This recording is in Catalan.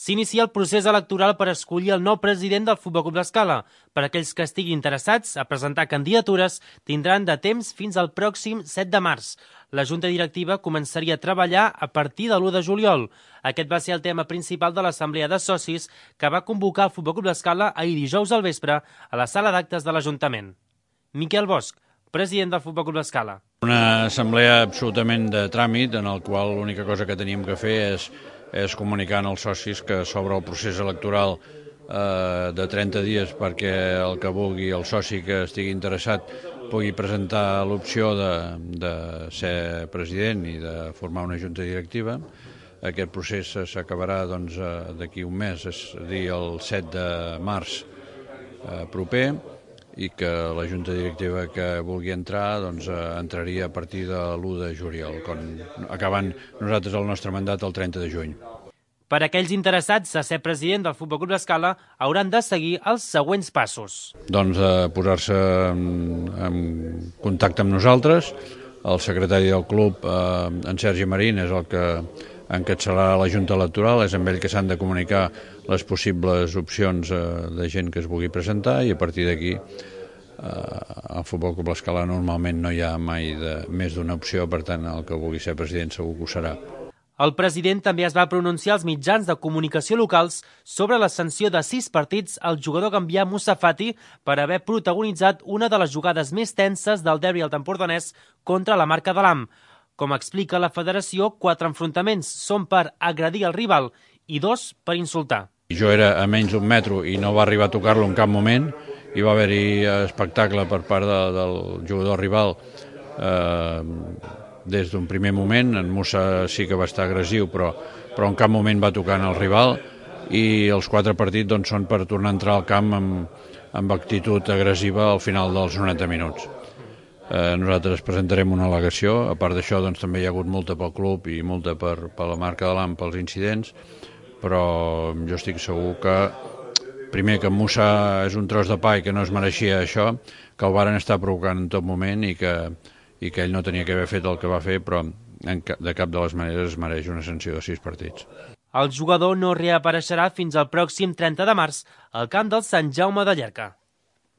S'inicia el procés electoral per escollir el nou president del Futbol Club l'Escala. Per aquells que estiguin interessats a presentar candidatures, tindran de temps fins al pròxim 7 de març. La Junta Directiva començaria a treballar a partir de l'1 de juliol. Aquest va ser el tema principal de l'Assemblea de Socis que va convocar el Futbol Club l'Escala ahir dijous al vespre a la sala d'actes de l'Ajuntament. Miquel Bosch, president del Futbol Club l'Escala. Una assemblea absolutament de tràmit en el qual l'única cosa que teníem que fer és comunicar als socis que s'obre el procés electoral de 30 dies perquè el que vulgui, el soci que estigui interessat, pugui presentar l'opció de ser president i de formar una junta directiva. Aquest procés s'acabarà d'aquí un mes, és a dir, el 7 de març proper, i que la junta directiva que vulgui entrar entraria a partir de l'1 de juliol, acabant nosaltres el nostre mandat el 30 de juny. Per a aquells interessats a ser president del Futbol Club l'Escala hauran de seguir els següents passos. Posar-se en contacte amb nosaltres. El secretari del club, en Sergi Marín, és el que encapçalarà la Junta Electoral, és amb ell que s'han de comunicar les possibles opcions de gent que es vulgui presentar, i a partir d'aquí al Futbol Club l'Escala normalment no hi ha mai més d'una opció, per tant el que vulgui ser president segur que ho serà. El president també es va pronunciar als mitjans de comunicació locals sobre la sanció de 6 partits al jugador gambià Moussa Fati per haver protagonitzat una de les jugades més tenses del derbi alt empordanès contra la Marca de l'Am. Com explica la federació, 4 enfrontaments són per agredir el rival i 2 per insultar. Jo era a menys d'un metro i no va arribar a tocar-lo en cap moment. Hi va haver-hi espectacle per part del jugador rival des d'un primer moment. En Moussa sí que va estar agressiu, però en cap moment va tocar en el rival, i els 4 partits són per tornar a entrar al camp amb actitud agressiva al final dels 90 minuts. Nosaltres presentarem una al·legació. A part d'això també hi ha hagut multa pel club i multa per la Marca de l'Am pels incidents, però jo estic segur que primer que Moussa és un tros de pa i que no es mereixia això, que el varen estar provocant en tot moment i que ell no tenia que haver fet el que va fer, però de cap de les maneres es mereix una sanció de 6 partits. El jugador no reapareixerà fins al pròxim 30 de març al camp del Sant Jaume de Llierca.